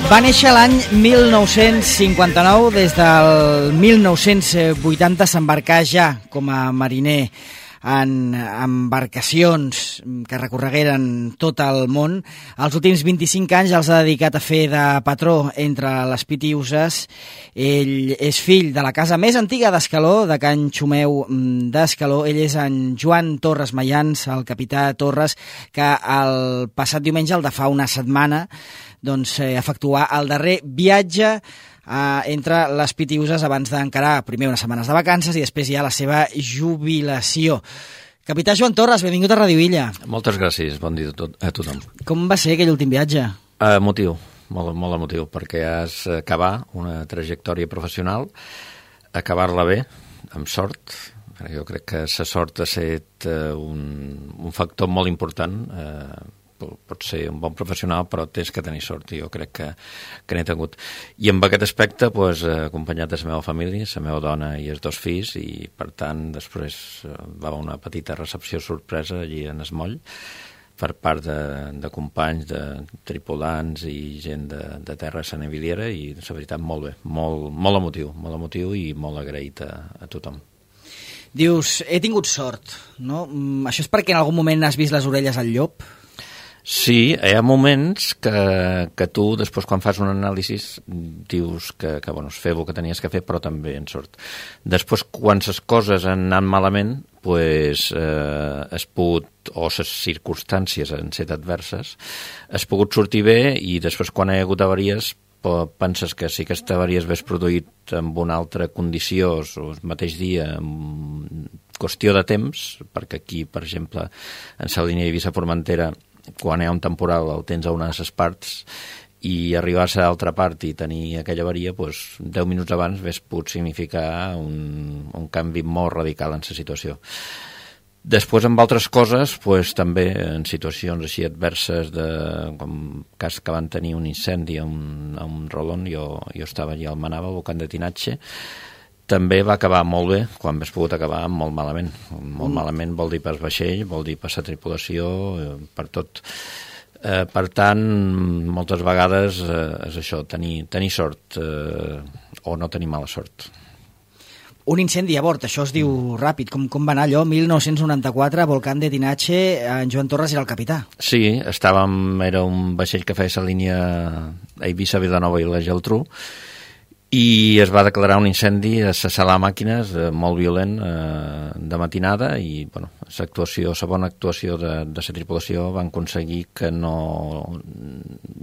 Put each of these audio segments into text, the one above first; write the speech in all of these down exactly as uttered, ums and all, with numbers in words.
Va néixer l'any mil nou-cents cinquanta-nou, des del mil nou-cents vuitanta s'embarcà ja com a mariner en embarcacions que recorregueren tot el món. Els últims vint-i-cinc anys els ha dedicat a fer de patró entre les Pitiüses. Ell és fill de la casa més antiga d'Escaló, de Can Xumeu d'Escaló. Ell és en Joan Torres Mayans, el capità Torres, que el passat diumenge, el de fa una setmana, doncs, eh, efectuar el darrer viatge Uh, entre les Pitiüses abans d'encarar primer unes setmanes de vacances i després ja la seva jubilació. Capità Joan Torres, benvingut a Radio Illa. Moltes gràcies, bon dia a, tot, a tothom. Com va ser aquell últim viatge? Uh, emotiu, molt, molt emotiu, perquè has acabar una trajectòria professional, acabar-la bé, amb sort. Jo crec que la sort ha estat uh, un, un factor molt important. Uh, pot ser un bon professional, però tens que tenir sort, i jo crec que, que n'he tingut. I amb aquest aspecte, pues, acompanyat de la meva família, la meva dona i els dos fills, i per tant després va haver una petita recepció sorpresa allí en es moll, per part de, de companys, de tripulants i gent de, de terra sanaviliera, i la veritat molt bé, molt, molt emotiu, molt emotiu i molt agraït a, a tothom. Dius, he tingut sort, no? Això és perquè en algun moment has vist les orelles al llop? Sí, hi ha moments que, que tu, després, quan fas un anàlisi, dius que, que bueno, has fet el que tenies que fer, però també en sort. Després, quan les coses han anat malament, pues, eh, has pogut, o les circumstàncies han estat adverses, has pogut sortir bé, i després, quan hi ha hagut avaries, penses que si aquesta avaria es hagués produït en una altra condició o el mateix dia, en qüestió de temps, perquè aquí, per exemple, en la línia Eivissa-Formentera, quan hi ha un temporal el tens a una de les parts, i arribar a l'altra part i tenir aquella avaria, doncs, deu minuts abans hauria pogut significar un, un canvi molt radical en la situació. Després, amb altres coses, doncs, també en situacions així adverses, de, com cas que van tenir un incendi a un, a un rolon, jo, jo estava allà al Manava, al volcán de Tinatge, també va acabar molt bé, quan hauria pogut acabar molt malament. Molt mm. malament vol dir per vaixell, vol dir per la tripulació, per tot. Eh, per tant, moltes vegades eh, és això, tenir, tenir sort eh, o no tenir mala sort. Un incendi a bord, això es diu ràpid. Com, com va anar allò? mil nou-cents noranta-quatre, volcán de Tinatge, en Joan Torres era el capità. Sí, estàvem, era un vaixell que feia la línia Eivissa-Vilanova i la Geltrú, i es va declarar un incendi a la sala de màquines eh, molt violent eh, de matinada, i bueno, l'actuació, la bona actuació de, de la tripulació van aconseguir que no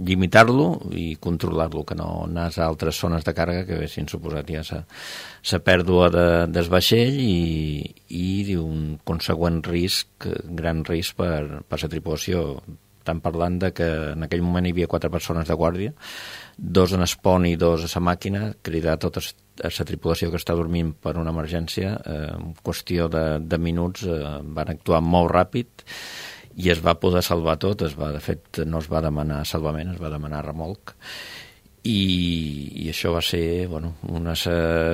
limitar-lo i controlar-lo, que no anés a altres zones de càrrega que haguessin suposat ja la pèrdua de, del vaixell i, i un consegüent risc, gran risc per, per la tripulació. Estan parlant de que en aquell moment hi havia quatre persones de guàrdia, dos en espon i dos a la màquina, cridar tota la tripulació que està dormint per una emergència. Eh, en qüestió de, de minuts eh, van actuar molt ràpid i es va poder salvar tot. Es va, de fet, no es va demanar salvament, es va demanar remolc. I, i això va ser, bueno, unes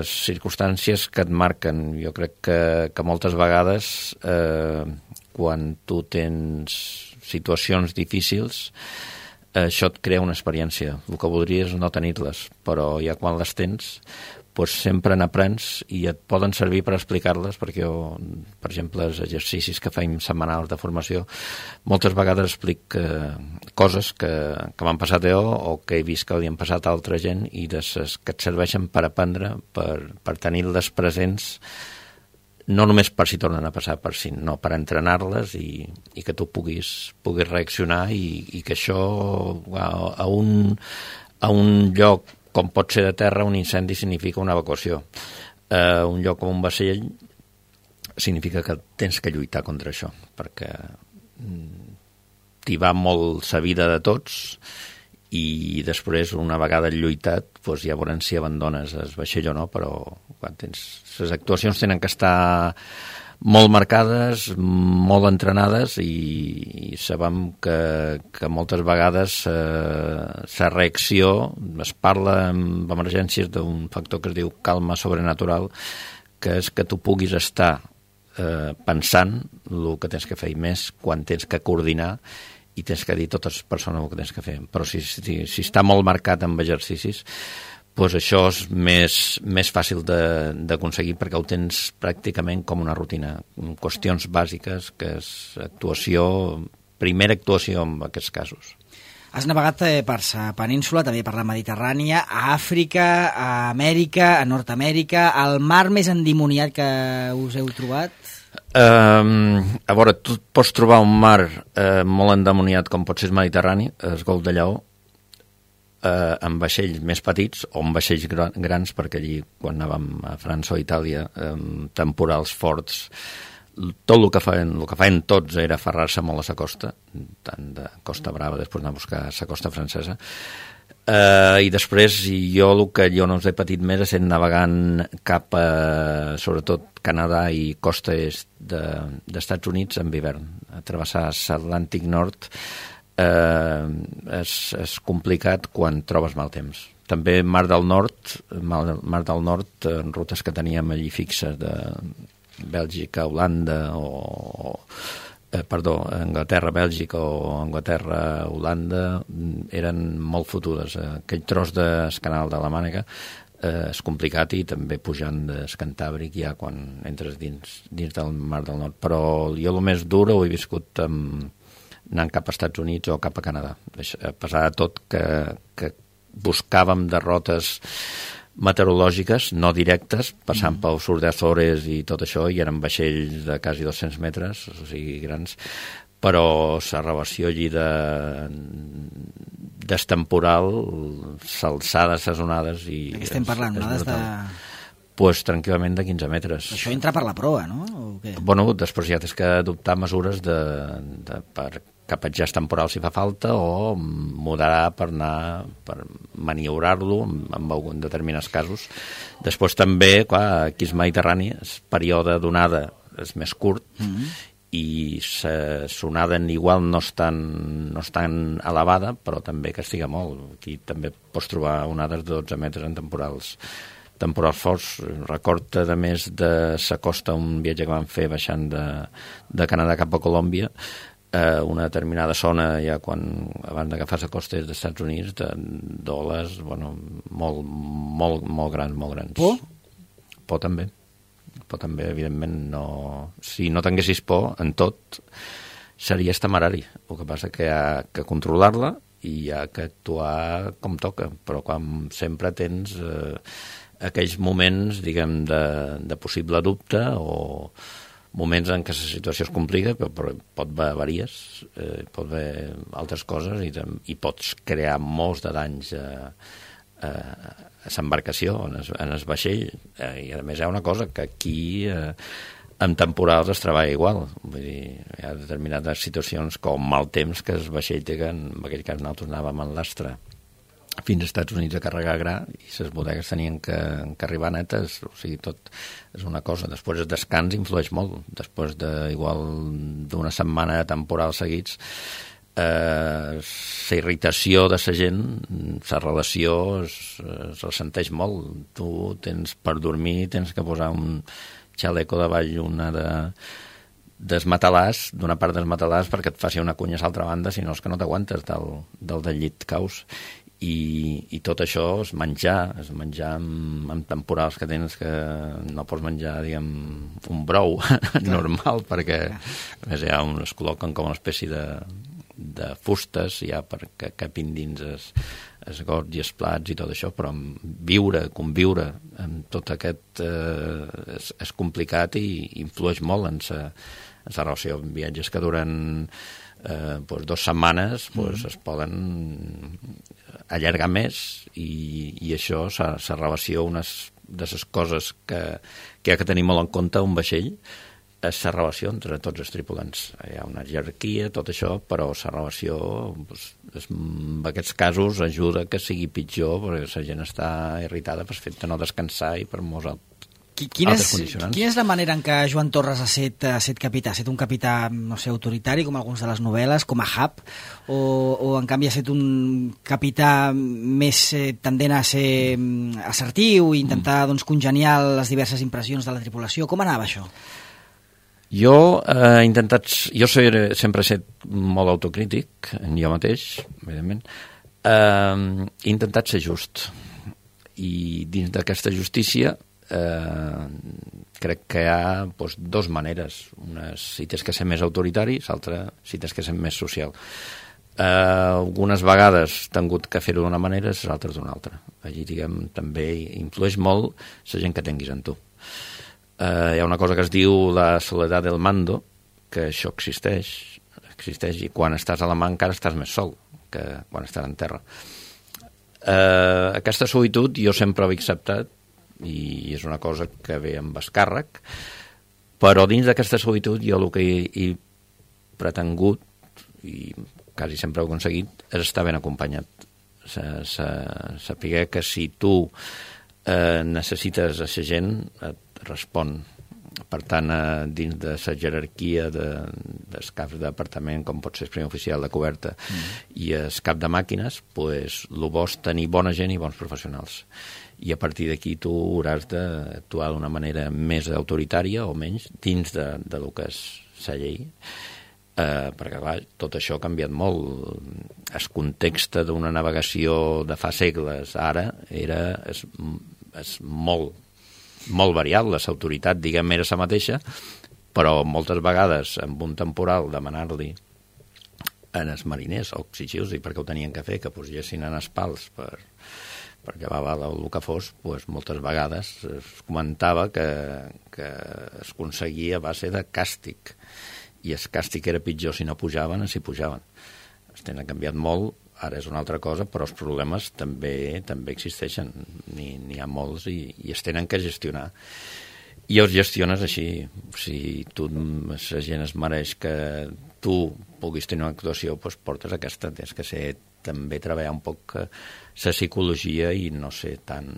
circumstàncies que et marquen. Jo crec que, que moltes vegades eh, quan tu tens situacions difícils, això et crea una experiència. El que voldries no tenir-les, però ja quan les tens, doncs sempre n'aprens i et poden servir per explicar-les, perquè jo, per exemple, els exercicis que feim setmanals de formació, moltes vegades explic eh, coses que, que m'han passat jo o que he vist que li han passat a altra gent, i de ses que et serveixen per aprendre, per, per tenir-les presents, no només per si tornen a passar, per si, no, per entrenar-les i, i que tu puguis, puguis reaccionar, i, i que això a, a, un, a un lloc com pot ser de terra, un incendi significa una evacuació. Uh, un lloc com un vaixell significa que tens que lluitar contra això, perquè t'hi va molt la vida de tots, i després, una vegada lluitat, doncs ja veurem si abandones el vaixell o no, però quan tens, les actuacions tenen que estar molt marcades, molt entrenades, i, i sabem que, que moltes vegades la eh, reacció, es parla en emergències d'un factor que es diu calma sobrenatural, que és que tu puguis estar eh, pensant el que tens que fer, i més quan tens que coordinar i tens que dir totes les persones el que tens que fer. Però si, si, si està molt marcat amb exercicis, doncs això és més, més fàcil d'aconseguir perquè ho tens pràcticament com una rutina. Qüestions bàsiques, que és actuació, primera actuació en aquests casos. Has navegat per la península, també per la Mediterrània, a Àfrica, a Amèrica, a Nord-Amèrica, al mar més endimoniat que us heu trobat? Uh, a veure, tu pots trobar un mar uh, molt endemoniat com pot ser el Mediterrani, el Golf de Lleó, uh, amb vaixells més petits o amb vaixells gran, grans, perquè allí, quan anàvem a França o Itàlia, um, temporals forts, tot el que feien, el que feien tots era aferrar-se molt a la costa, tant de Costa Brava, després anar a buscar la costa francesa, uh, i després jo el que jo no us he patit més és navegant cap a, sobretot, Canadà i costa est de, d'Estats Units en hivern. A travessar l'Atlàntic Nord eh, és, és complicat quan trobes mal temps. També Mar del Nord, Mar, Mar del Nord, en rutes que teníem allí fixes de Bèlgica, Holanda o, eh, perdó, Anglaterra, Bèlgica o Anglaterra, Holanda, eren molt fotudes. Aquell tros del canal de la Mànega eh, és complicat, i també pujant del Cantàbric ja quan entres dins, dins del Mar del Nord. Però jo el més dur ho he viscut amb, anant cap als Estats Units o cap a Canadà. A pesar de tot que, que buscàvem derrotes meteorològiques, no directes, passant mm. pel sud d'Azores i tot això, i eren vaixells de quasi dos-cents metres, o sigui, grans, però la relació allí de destemporal, s'alçades, les onades... I de què estem parlant? Onades de... Pues tranquil·lament de quinze metres. Això entra per la proa, no? O què? Bueno, després ja tens que adoptar mesures de, de, per capatjar temporal si fa falta, o moderar per anar, per maniobrar-lo en, en algun determinats casos. Després també, clar, aquí és Mediterrani, el període d'onada és més curt, mm-hmm. i la sonada igual no és, tan, no és tan elevada, però també castiga molt. Aquí també pots trobar onades de dotze metres en temporals temporals forts. Recorda, a més de la costa, un viatge que vam fer baixant de, de Canadà cap a Colòmbia, eh, una determinada zona, ja quan abans d'agafar la costa dels Estats Units, de d'oles, bueno, molt, molt, molt grans, molt grans. Por? Por també. Por també, evidentment, no... Si no tinguessis por en tot, seria temerari. El que passa que hi ha que controlar-la i hi ha que actuar com toca, però quan sempre tens... Eh, aquells moments, diguem, de, de possible dubte, o moments en què la situació es complica, però, però pot haver avaries, eh, pot haver altres coses, i, i pots crear molts de danys a, a, a l'embarcació, en el, en el vaixell. Eh, I a més hi ha una cosa, que aquí eh, en temporals es treballa igual. Vull dir, hi ha determinades situacions com mal temps, que el vaixell té, que en aquell cas nosaltres anàvem en l'astre fins als Estats Units a carregar gra, i les bodegues tenien que, que arribar netes, o sigui, tot és una cosa. Després el descans influeix molt. Després de, igual d'una setmana de temporal seguits, eh, la irritació de la gent, la relació es, es ressenteix molt. Tu tens, per dormir, tens que posar un xaleco davall, una de des matalàs, d'una part dels matalàs, perquè et faci una cunya a l'altra banda, si no és que no t'aguantes del, del, del llit caus. I, i tot això és menjar, és menjar amb, amb temporals que tens, que no pots menjar, diguem, un brou normal, perquè a més ja es col·loquen com una espècie de, de fustes ja perquè capin dins es, es gots i els plats i tot això, però viure, conviure amb tot aquest eh, és, és complicat i influeix molt en la relació. Viatges que duren eh, doncs dos setmanes doncs mm. es poden allargar més, i, i això, la relació, unes de les coses que, que hi ha que tenir molt en compte un vaixell, és la relació entre tots els tripulants. Hi ha una jerarquia, tot això, però la relació, doncs, és, en aquests casos, ajuda que sigui pitjor, perquè la gent està irritada per fet de no descansar i per molts altres. Quina és, quina és la manera en què Joan Torres ha set, ha set capità? Ha set un capità, no sé, autoritari, com alguns de les novel·les, com a Hap, o, o en canvi ha set un capità més eh, tendent a ser assertiu i intentar mm. doncs, congeniar les diverses impressions de la tripulació? Com anava això? Jo he eh, intentat... Jo soy, sempre he estat molt autocrític, en jo mateix, evidentment. Eh, he intentat ser just. I dins d'aquesta justícia eh, crec que hi ha doncs, dues maneres. Una si tens que ser més autoritari, l'altra si tens que ser més social. Eh, algunes vegades t'han hagut que fer-ho d'una manera, les altres d'una altra. Allí, diguem, també influeix molt la gent que tinguis en tu. Eh, hi ha una cosa que es diu la soledat del mando, que això existeix, existeix i quan estàs a la mà encara estàs més sol que quan estàs en terra. Eh, aquesta solitud jo sempre l'he acceptat i és una cosa que ve amb escàrrec, però dins d'aquesta solitud jo el que he, he pretengut i quasi sempre he aconseguit és estar ben acompanyat. Saber que si tu eh, necessites a la gent et respon. Per tant, eh, dins de la jerarquia de, dels caps d'apartament, com pot ser el primer oficial de coberta mm. i el cap de màquines, pues, el bo és tenir bona gent i bons professionals. I a partir d'aquí tu hauràs d'actuar d'una manera més autoritària o menys dins de, de lo que és la llei. Eh, perquè, clar, tot això ha canviat molt. El context d'una navegació de fa segles ara era és, és molt molt variable, l'autoritat, diguem, era la mateixa, però moltes vegades amb un temporal demanar-li en els mariners o exigir-los perquè ho tenien que fer, que posessin en els pals per, perquè va valer el que fos, doncs moltes vegades es comentava que, que es aconseguia a base de càstig, i el càstig era pitjor si no pujaven o si pujaven. Es tenen canviat molt. Ara és una altra cosa, però els problemes també també existeixen, n'hi ha molts i, i es tenen que gestionar. I els gestiones així. Si tu, la gent es mereix que tu puguis tenir una actuació, doncs portes aquesta. Tens que ser, també treballar un poc la psicologia i no ser tan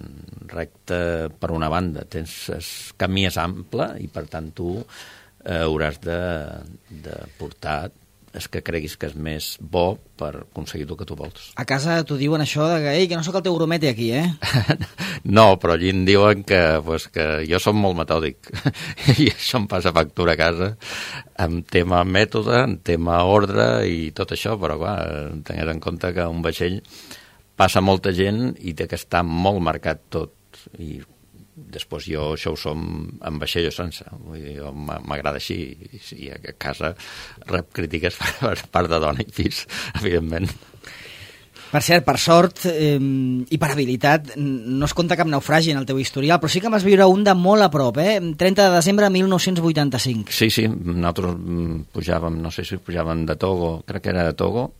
recte per una banda. Tens, el camí és ample i, per tant, tu eh, hauràs de, de portar és que creguis que és més bo per aconseguir el que tu vols. A casa t'ho diuen això de que, ei, que no sóc el teu gromete aquí, eh? No, però allí em diuen que, pues, que jo som molt metòdic i això em passa factura a casa en tema mètode, en tema ordre i tot això, però clar, tengues en compte que un vaixell passa molta gent i té que estar molt marcat tot i després jo això ho som amb vaixell o sense. Vull dir, m'agrada així i a casa rep crítiques per part de dona i fills, evidentment. Per cert, per sort eh, i per habilitat, no es compta cap naufragi en el teu historial, però sí que vas viure un de molt a prop, eh? trenta de desembre de mil nou-cents vuitanta-cinc. Sí, sí, nosaltres pujàvem, no sé si pujàvem de Togo, crec que era de Togo,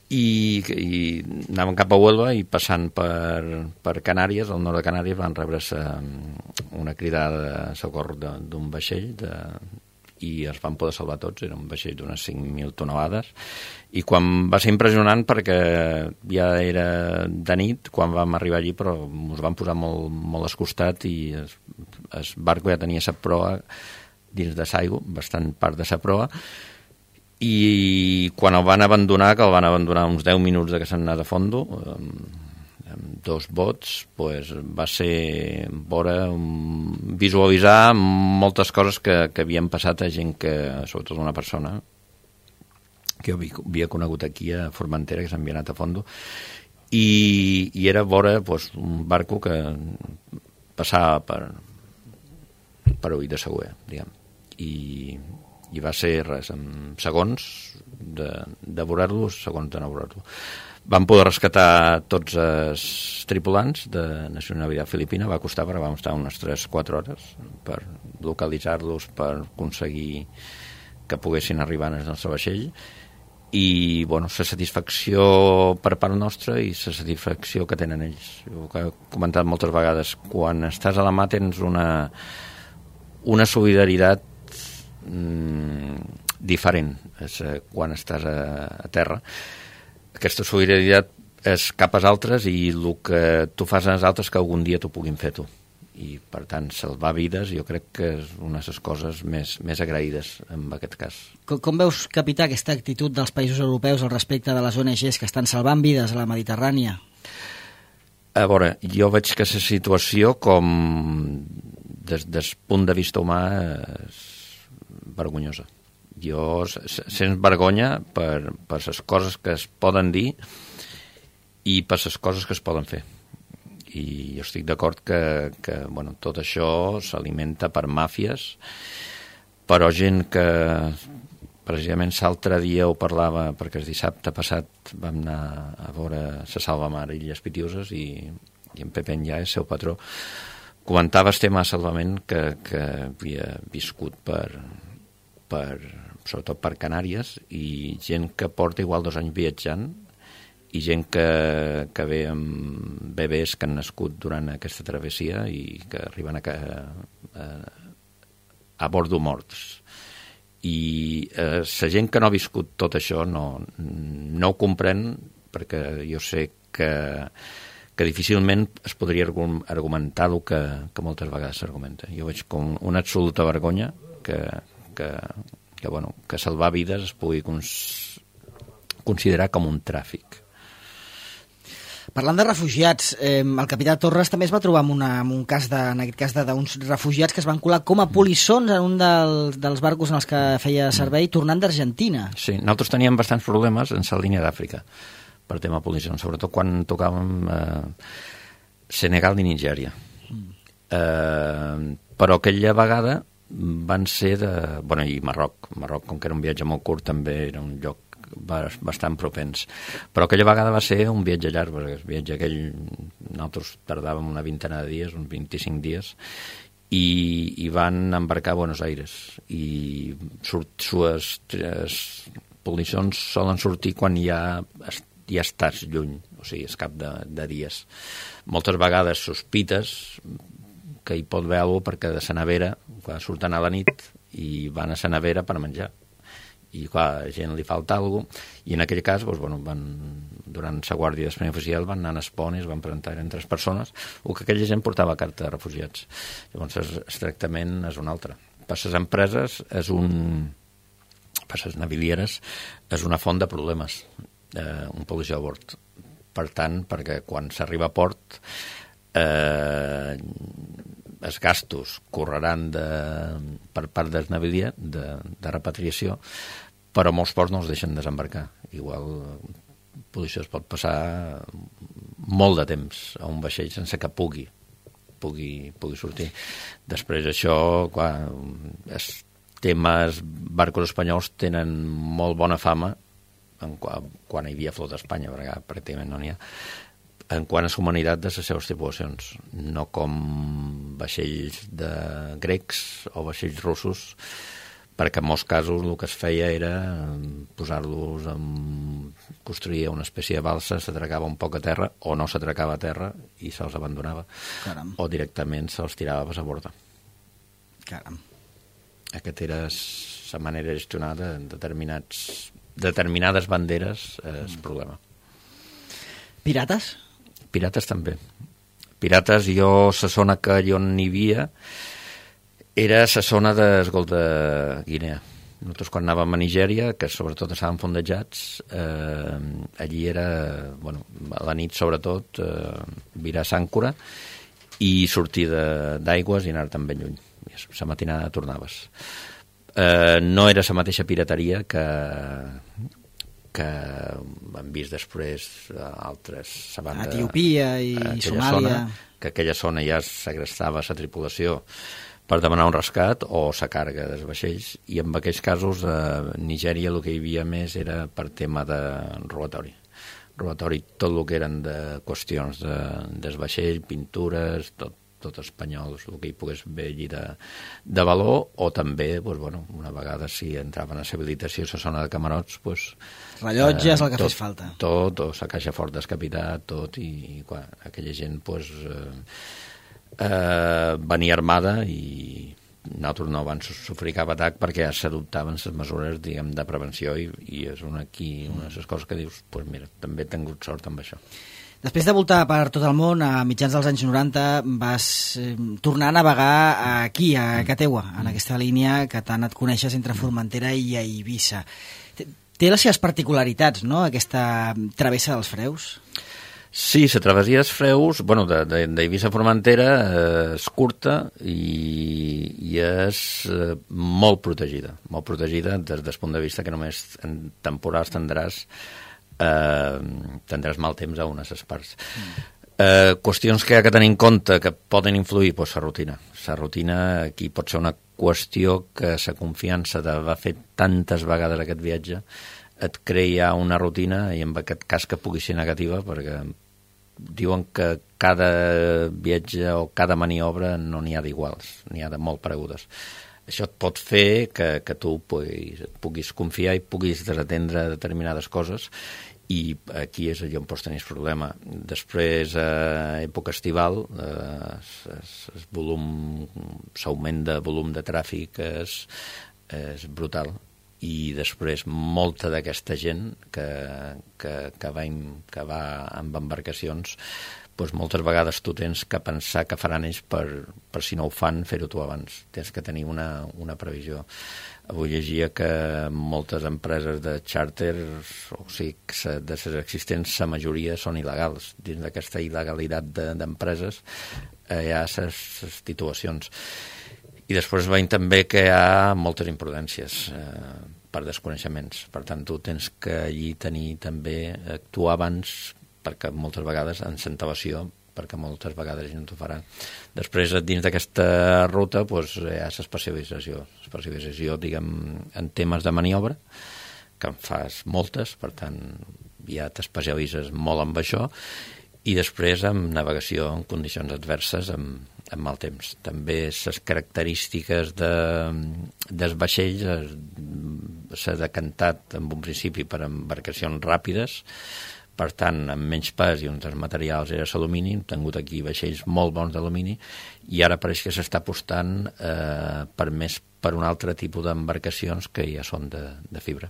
i, i anàvem cap a Huelva i passant per, per Canàries, al nord de Canàries, van rebre una cridada de socor d'un vaixell de, i es van poder salvar tots. Era un vaixell d'unes cinc mil tonelades i quan va ser impressionant perquè ja era de nit quan vam arribar allí, però ens van posar molt, molt escostat i el, el barco ja tenia sa proa dins de l'aigua, bastant part de sa proa, i quan el van abandonar, que el van abandonar uns deu minuts de que s'han anat a fondo, amb, amb dos bots, pues, va ser veure, visualitzar moltes coses que, que havien passat a gent que, sobretot una persona que jo havia conegut aquí a Formentera, que s'havia anat a fondo, i, i era veure pues, un barco que passava per, per ull de següer, diguem, i i va ser res, en segons de, de veure-lo, segons de no veure-lo. Vam poder rescatar tots els tripulants de nacionalitat filipina, va costar perquè vam estar unes tres o quatre hores per localitzar-los, per aconseguir que poguessin arribar al nostre vaixell, i bueno, la satisfacció per part nostra i la satisfacció que tenen ells. Jo que he comentat moltes vegades, quan estàs a la mà tens una, una solidaritat diferent és, eh, quan estàs a, a terra. Aquesta solidaritat és cap als altres i el que tu fas als altres que algun dia t'ho puguin fer tu. I, per tant, salvar vides jo crec que és una de les coses més, més agraïdes en aquest cas. Com, com veus, capità, aquesta actitud dels països europeus al respecte de les O N Ges que estan salvant vides a la Mediterrània? A veure, jo veig que la situació com des del punt de vista humà és vergonyosa. Jo sents vergonya per, per les coses que es poden dir i per les coses que es poden fer. I jo estic d'acord que, que bueno, tot això s'alimenta per màfies, però gent que precisament l'altre dia ho parlava, perquè el dissabte passat vam anar a veure la Salvamar i Illes Pitiuses i, i en Pepe Enllà, el seu patró, comentava el tema de salvament que, que havia viscut per, per, sobretot per Canàries, i gent que porta igual dos anys viatjant i gent que, que ve amb bebès que han nascut durant aquesta travessia i que arriben a, a, a bordo morts. I eh, la gent que no ha viscut tot això no, no ho comprèn, perquè jo sé que, que difícilment es podria argumentar el que, que moltes vegades s'argumenta. Jo veig com una absoluta vergonya que, que, que, bueno, que salvar vides es pugui cons, considerar com un tràfic. Parlant de refugiats, eh, el capità Torres també es va trobar amb, una, amb un cas, de, en aquest cas, d'uns refugiats que es van colar com a polissons en un dels, dels barcos en els que feia servei tornant d'Argentina. Sí, nosaltres teníem bastants problemes en la línia d'Àfrica per tema polissons, sobretot quan tocàvem eh, Senegal i Nigèria. Mm. Eh, però aquella vegada van ser de... Bueno, i Marroc. Marroc, com que era un viatge molt curt, també era un lloc bastant propens. Però aquella vegada va ser un viatge llarg, perquè el viatge aquell nosaltres tardàvem una vintena de dies, uns vint-i-cinc dies, i, i van embarcar a Buenos Aires. I surt, sues polissons solen sortir quan ja, ja estàs lluny, o sigui, és cap de, de dies. Moltes vegades sospites que hi pot haver alguna cosa perquè de la nevera, quan surten a la nit, i van a la nevera per menjar. I clar, a gent li falta alguna cosa, i en aquell cas, doncs, bueno, van, durant la guàrdia d'espai oficial van anar a Espon i es van presentar, eren tres persones, o que aquella gent portava carta de refugiats. Llavors el tractament és un altre. Per les empreses és un... per les navilieres és una font de problemes, eh, un policia a bord. Per tant, perquè quan s'arriba a port eh, els gastos correran de, per part del navilier de, de repatriació, però molts ports no els deixen desembarcar. Igual policia es pot passar molt de temps a un vaixell sense que pugui pugui, pugui sortir. Després això, quan els temes barcos espanyols tenen molt bona fama en quan, quan hi havia flota a Espanya, perquè pràcticament no n'hi ha, en quant a la humanitat de les seves tripulacions, no com vaixells de grecs o vaixells russos, perquè en molts casos el que es feia era posar-los en... construir una espècie de balsa, s'atracava un poc a terra, o no s'atracava a terra i se'ls abandonava. Caram. O directament se'ls tirava a borda. Caram. Aquesta era la manera de gestionar de determinats, determinades banderes és mm. problema. Pirates? Pirates també. Pirates, jo, la zona que jo n'hi havia era la zona del Golf de Guinea. Nosaltres quan anàvem a Nigèria, que sobretot estàvem fondejats, eh, allí era, bueno, a la nit sobretot, eh, virar s'àncora i sortir d'aigües i anar-te'n ben lluny. La matinada tornaves. Eh, no era la mateixa pirateria que... que hem vist després altres... Banda, Etiòpia i Somàlia. Zona, que aquella zona ja segrestava la tripulació per demanar un rescat o la càrrega dels vaixells, i en aquells casos a Nigèria el que hi havia més era per tema de robatori. Robatori, tot el que eren de qüestions de, dels vaixells, pintures, tot, tot espanyols, el que hi pogués haver allí de, de valor, o també, doncs, bueno, una vegada si entraven a l'habilitació a la zona de camarots, doncs, rellotges, eh, el que tot, fes falta. Tot, o la caixa fort descapitat, tot, i quan aquella gent, doncs, eh, eh, venia armada i nosaltres no van sofrir cap atac perquè ja s'adoptaven les mesures, diguem, de prevenció, i, i és una, aquí, una de les coses que dius, doncs pues mira, també he tingut sort amb això. Després de voltar per tot el món, a mitjans dels anys noranta, vas eh, tornar a navegar aquí, a Cateua, en aquesta línia que tant et coneixes entre Formentera i a Eivissa. Té les seves particularitats, no?, aquesta travessa dels Freus? Sí, la travessia dels Freus, bueno, d'Eivissa a Formentera, eh, és curta i, i és eh, molt protegida, molt protegida des del punt de vista que només en temporals tindràs, eh, tindràs mal temps a unes parts. Mm. Eh, qüestions que hi ha que tenir en compte que poden influir, doncs la rutina. La rutina aquí pot ser una qüestió que la confiança d'haver fet tantes vegades aquest viatge et crea una rutina i en aquest cas que pugui ser negativa, perquè diuen que cada viatge o cada maniobra no n'hi ha d'iguals, n'hi ha de molt paregudes. Això et pot fer que, que tu puguis, puguis confiar i puguis desatendre determinades coses, i aquí és allà on pots tenir el problema. Després, a època estival, eh, el volum, l'augment de volum de tràfic és, és brutal. I després molta d'aquesta gent que, que, que, va, que va amb embarcacions, doncs moltes vegades tu tens que pensar que faran ells per, per si no ho fan, fer-ho tu abans. Tens que tenir una, una previsió. Avui llegia que moltes empreses de xàrter, o sigui, de les existents, la majoria són il·legals. Dins d'aquesta il·legalitat d'empreses eh, hi ha les titulacions. I després veiem també que hi ha moltes imprudències eh, per desconeixements. Per tant, tu tens que allí tenir també, actuar abans, perquè moltes vegades en centavació, perquè moltes vegades no t'ho faran. Després, dins d'aquesta ruta, doncs, hi ha l'especialització. Especialització, diguem, en temes de maniobra, que en fas moltes, per tant, ja t'especialitzes molt amb això, i després amb navegació en condicions adverses, amb, amb mal temps. També les característiques de, dels vaixells s'ha decantat en un principi per embarcacions ràpides, per tant, amb menys pes i uns dels materials era l'alumini, hem tingut aquí vaixells molt bons d'alumini, i ara pareix que s'està apostant eh, per més per un altre tipus d'embarcacions que ja són de, de fibra.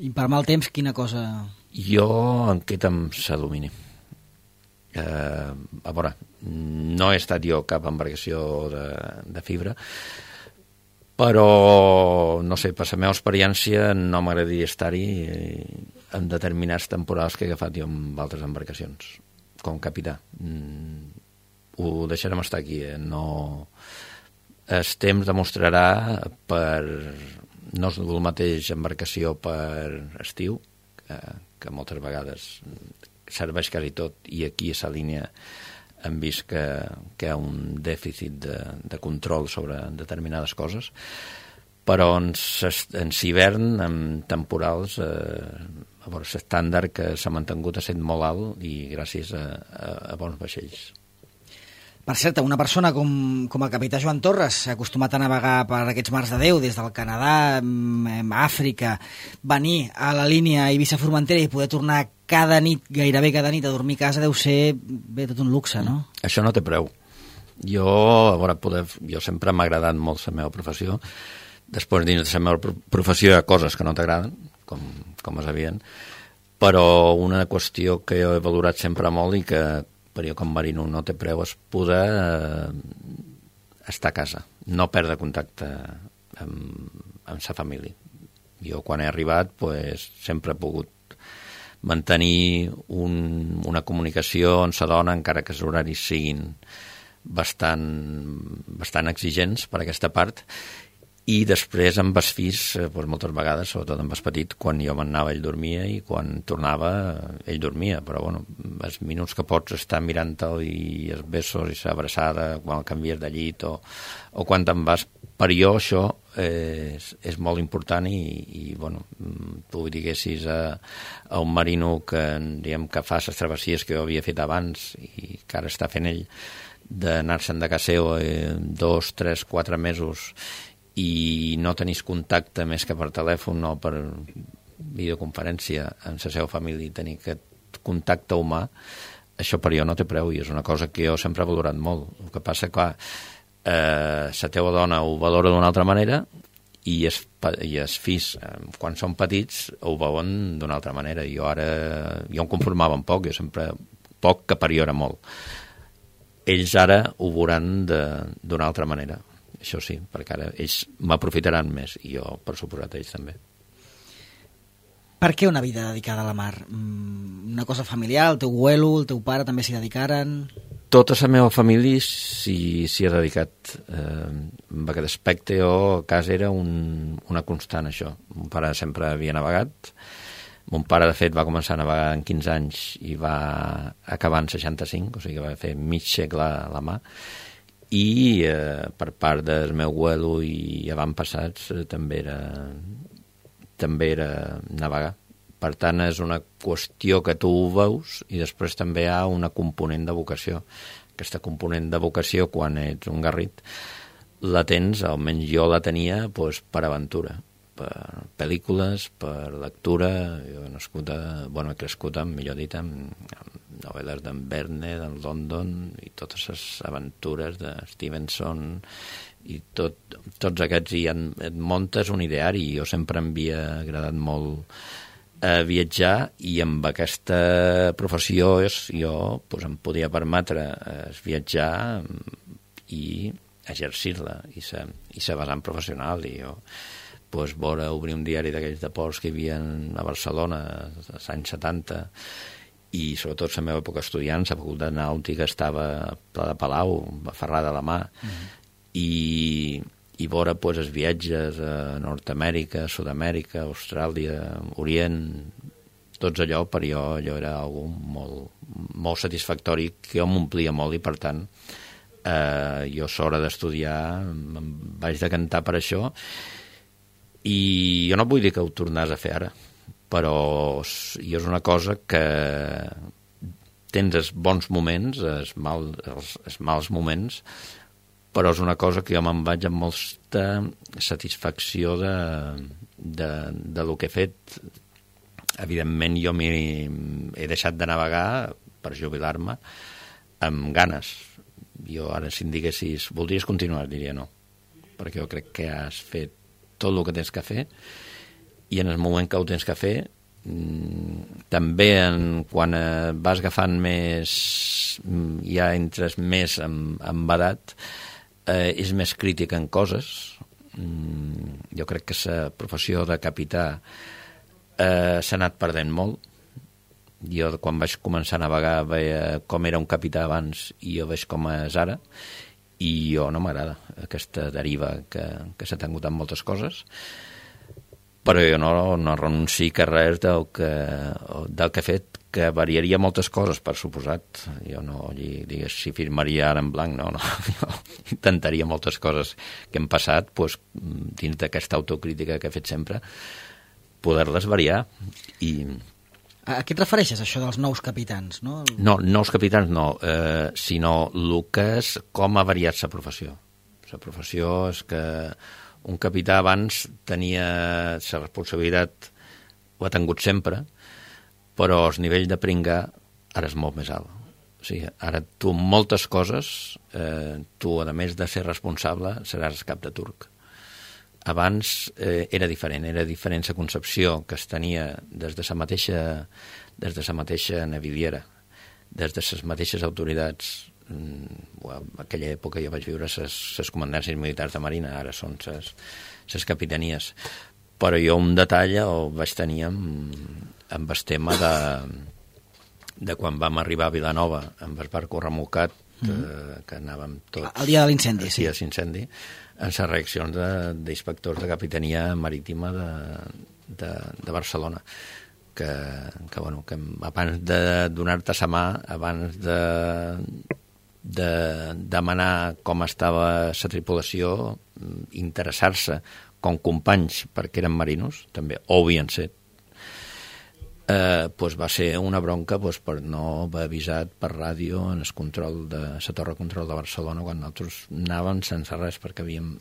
I per mal temps, quina cosa? Jo em quedo amb l'alumini. Eh, a veure, no he estat jo cap embarcació de, de fibra, però, no sé, per la meva experiència no m'agradaria estar-hi en determinats temporals que he agafat jo amb altres embarcacions, com capità. Mm, ho deixarem estar aquí, eh? No... El temps demostrarà per... No és el mateix embarcació per estiu, que, que moltes vegades serveix quasi tot, i aquí a la línia hem vist que, que hi ha un dèficit de, de control sobre determinades coses, però en, en hivern, en temporals, eh, a veure, l'estàndard que s'ha mantingut ha estat molt alt i gràcies a, a, a bons vaixells. Per cert, una persona com, com el capità Joan Torres, acostumat a navegar per aquests mars de Déu, des del Canadà, Àfrica, venir a la línia Eivissa-Formentera i poder tornar cada nit, gairebé cada nit, a dormir a casa, deu ser bé, tot un luxe, no? Això no té preu. Jo, a veure, poder, jo sempre m'ha agradat molt la meva professió. Després, dins de la meva professió, hi ha coses que no t'agraden, com, com és evident, però una qüestió que jo he valorat sempre molt i que per jo com marino no té preu és poder eh, estar a casa, no perdre contacte amb, amb sa família. Jo quan he arribat pues, sempre he pogut mantenir un, una comunicació on sa dona, encara que els horaris siguin bastant, bastant exigents per aquesta part, i després amb els fills, doncs moltes vegades, sobretot amb el petit, quan jo m'anava ell dormia i quan tornava ell dormia, però bueno, els minuts que pots estar mirant-te'l i els besos i l'abraçada quan el canvies de llit o, o quan te'n vas, per jo això és, és molt important i, i bueno, tu diguessis a, a un marino que, diguem, que fa les travessies que jo havia fet abans i que ara està fent ell, d'anar-se'n de casa seu eh, dos, tres, quatre mesos i no tenís contacte més que per telèfon o per videoconferència amb la seva família i tenir aquest contacte humà, això per jo no té preu i és una cosa que jo sempre he valorat molt. El que passa, clar, eh, la teva dona ho valora d'una altra manera i els, i els fills, eh, quan són petits, ho veuen d'una altra manera. Jo ara, jo em conformava un poc, jo sempre, poc que per jo era molt. Ells ara ho veuran d'una altra manera. Això sí, perquè ara ells m'aprofitaran més i jo, per suposat, ells també. Per què una vida dedicada a la mar? Una cosa familiar, el teu abuelo, el teu pare també s'hi dedicaren? Tota la meva família s'hi ha dedicat. Eh, en aquest aspecte, jo a casa era un, una constant, això. Mon pare sempre havia navegat. Mon pare, de fet, va començar a navegar en quinze anys i va acabar en seixanta-cinc, o sigui que va fer mig segle a la mà. I eh, per part del meu abuelo i avantpassats eh, també era també era navegar. Per tant, és una qüestió que tu ho veus i després també hi ha una component de vocació. Aquesta component de vocació, quan ets un garrit, la tens, almenys jo la tenia, doncs, per aventura, per pel·lícules, per lectura. Jo he nascut a, bueno, he crescut, amb, millor dit, amb, amb novel·les d'en Verne, d'en London, i totes les aventures de Stevenson, i tot, tots aquests, i en, et muntes un ideari. Jo sempre em havia agradat molt a viatjar, i amb aquesta professió és, jo pues, em podia permetre es viatjar i exercir-la i ser, i ser basant professional. I jo pues, vora obrir un diari d'aquells de ports que hi havia a Barcelona als anys setanta, i sobretot la meva època estudiant, la facultat nàutica estava a Pla de Palau, a Ferrà de la Mà, mm-hmm. i i vora pues, els viatges a Nord-Amèrica, Sud-amèrica, Austràlia, Orient, tots allò, per jo allò era algo molt, molt satisfactori, que jo m'omplia molt, i per tant eh, jo a l'hora d'estudiar em vaig decantar per això, i jo no vull dir que ho tornàs a fer ara, però jo és una cosa que tens els bons moments, els, mal, els, els mals moments, però és una cosa que jo me'n vaig amb molta satisfacció de, de, de lo que he fet. Evidentment, jo he deixat de navegar per jubilar-me amb ganes. Jo ara, si em diguessis, voldries continuar, diria no, perquè jo crec que has fet tot el que tens que fer, i en el moment que ho tens que fer, també en, quan vas agafant més, ja entres més amb, amb edat, eh, és més crític en coses. Mm, jo crec que la professió de capità eh, s'ha anat perdent molt. Jo, quan vaig començar a navegar, veia com era un capità abans i jo veig com és ara, i jo no m'agrada aquesta deriva que, que s'ha tingut en moltes coses, però jo no, no renunci a res del que, del que he fet, que variaria moltes coses, per suposat. Jo no digués si firmaria ara en blanc, no, no. Jo intentaria moltes coses que hem passat, doncs, dins d'aquesta autocrítica que he fet sempre, poder-les variar. I... A què et refereixes, això dels nous capitans? No, no nous capitans no, eh, sinó el que és com ha variat la professió. La professió és que un capità abans tenia la responsabilitat, ho ha tingut sempre, però el nivell de pringar ara és molt més alt. O sigui, ara tu moltes coses, eh, tu a més de ser responsable seràs cap de turc. Abans eh, era diferent, era diferent la concepció que es tenia des de la mateixa, des de la mateixa naviliera, des de les mateixes autoritats. En aquella època jo vaig viure les comandàncies militars de Marina, ara són les capitanies, però jo un detall el vaig tenir amb, amb el tema de, de quan vam arribar a Vilanova amb el barco remolcat, mm. eh, que anàvem tots... El dia de l'incendi, sí. El dia de l'incendi, en les reaccions d'inspectors de, de capitania marítima de, de, de Barcelona. Que, que, bueno, que abans de donar-te la mà, abans de, de demanar com estava la tripulació, interessar-se com companys perquè eren marinos, també, o havien set, eh, pues va ser una bronca pues, per no haver avisat per ràdio en el control de la torre de control de Barcelona quan nosaltres anàvem sense res perquè havíem,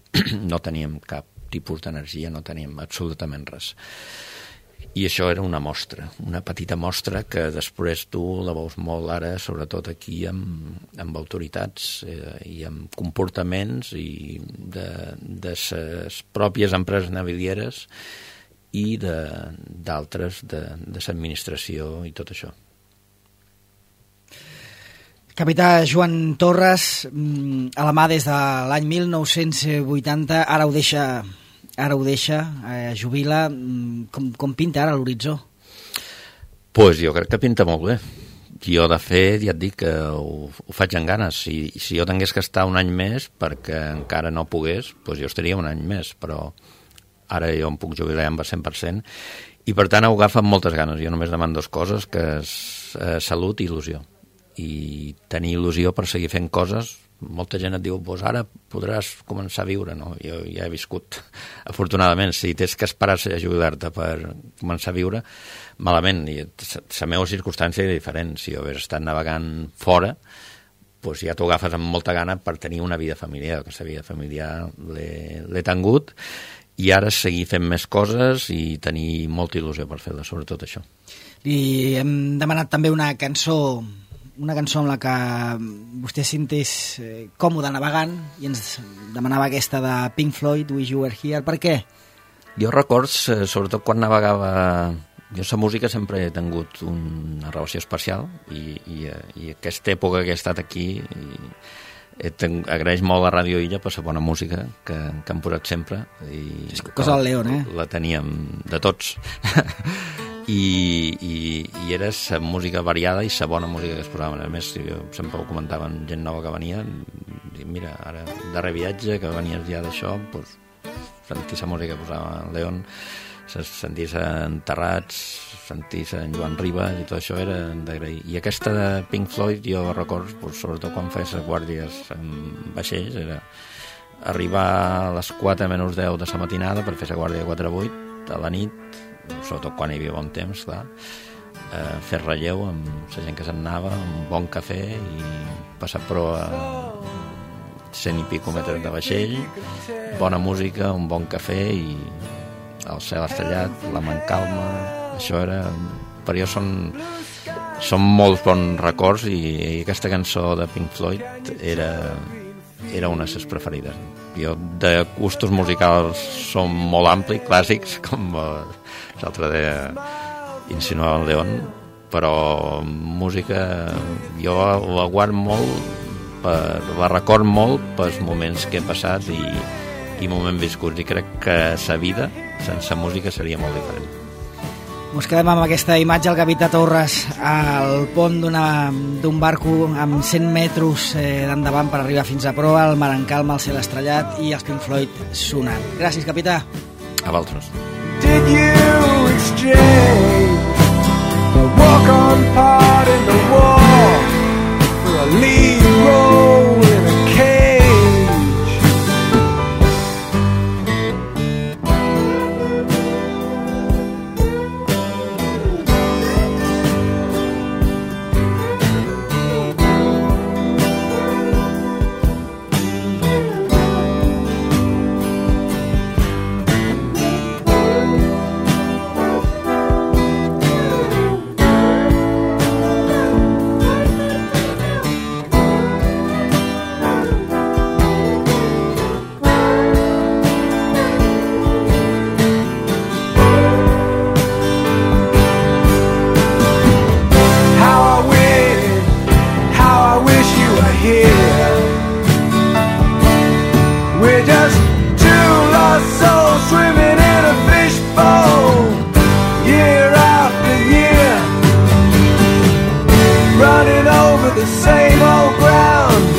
no teníem cap tipus d'energia, no teníem absolutament res. I això era una mostra, una petita mostra que després tu la veus molt ara, sobretot aquí amb, amb autoritats eh, i amb comportaments i de, de les pròpies empreses navilieres i d'altres de, de, de l'administració i tot això. Capità Joan Torres, a la mà des de l'any mil nou-cents vuitanta, ara ho deixa ara ho deixa, eh, jubila. Com, com pinta ara l'horitzó? Pues jo crec que pinta molt bé. Jo, de fet, ja et dic que ho, ho faig amb ganes. Si, si jo tingués que estar un any més perquè encara no pogués, pues jo estaria un any més, però ara jo em puc jubilar amb el cent per cent i, per tant, ho agafa amb moltes ganes. Jo només demano dues coses, que és eh, salut i il·lusió. I tenir il·lusió per seguir fent coses. Molta gent et diu, pues ara podràs començar a viure. No, jo ja he viscut, afortunadament. Si tens que esperar a jubilar-te per començar a viure, malament. I la meva circumstància era diferent. Si jo hagués estat navegant fora, pues ja t'ho agafes amb molta gana per tenir una vida familiar. Aquesta vida familiar l'he tingut, i ara seguir fent més coses i tenir molta il·lusió per fer-la, sobretot això. I hem demanat també una cançó, una cançó amb la que vostè sentés còmode navegant, i ens demanava aquesta de Pink Floyd, Wish You Were Here. Per què? Jo records, sobretot quan navegava, jo la música sempre he tingut una relació especial, i, i, i aquesta època que he estat aquí, i agraeix molt a Ràdio Illa per la bona música que, que han posat sempre, i és cosa del León, eh? La teníem de tots I, i, i era la música variada i la bona música que es posaven. A més, jo sempre ho comentaven gent nova que venia, i mira, ara darrer viatge que venies ja d'això, pues, sentir la música que posava León, sentir-se enterrats, sentir-se en Joan Rivas, i tot això era d'agrair. I aquesta de Pink Floyd, jo recordo, pues, sobretot quan feia les guàrdies en vaixells, era arribar a les quatre menys deu de la matinada per fer la guàrdia de quatre a vuit a la nit, sobretot quan hi havia bon temps, clar, eh, fer relleu amb la gent que se'n anava, un bon cafè, i passar proa cent i pico metres de vaixell, bona música, un bon cafè, i el cel estrellat, la man calma. Això era, per jo són, són molts bons records, i, i aquesta cançó de Pink Floyd era, era una de les preferides. Jo de gustos musicals som molt ampli, clàssics, com l'altre de insinuar el León, però música jo la guardo molt, per, la record molt pels moments que he passat i, i moments viscuts, i crec que la vida sense música seria molt diferent. Ens quedem amb aquesta imatge, el capità Torres al pont d'un barco amb cent metres eh, d'endavant per arribar fins a proa, el mar en calma, el cel estrellat i els Pink Floyd sonant. Gràcies, capità. A vosaltres. Did you exchange a walk-on part in the war for a lead role in a cage? The same old ground.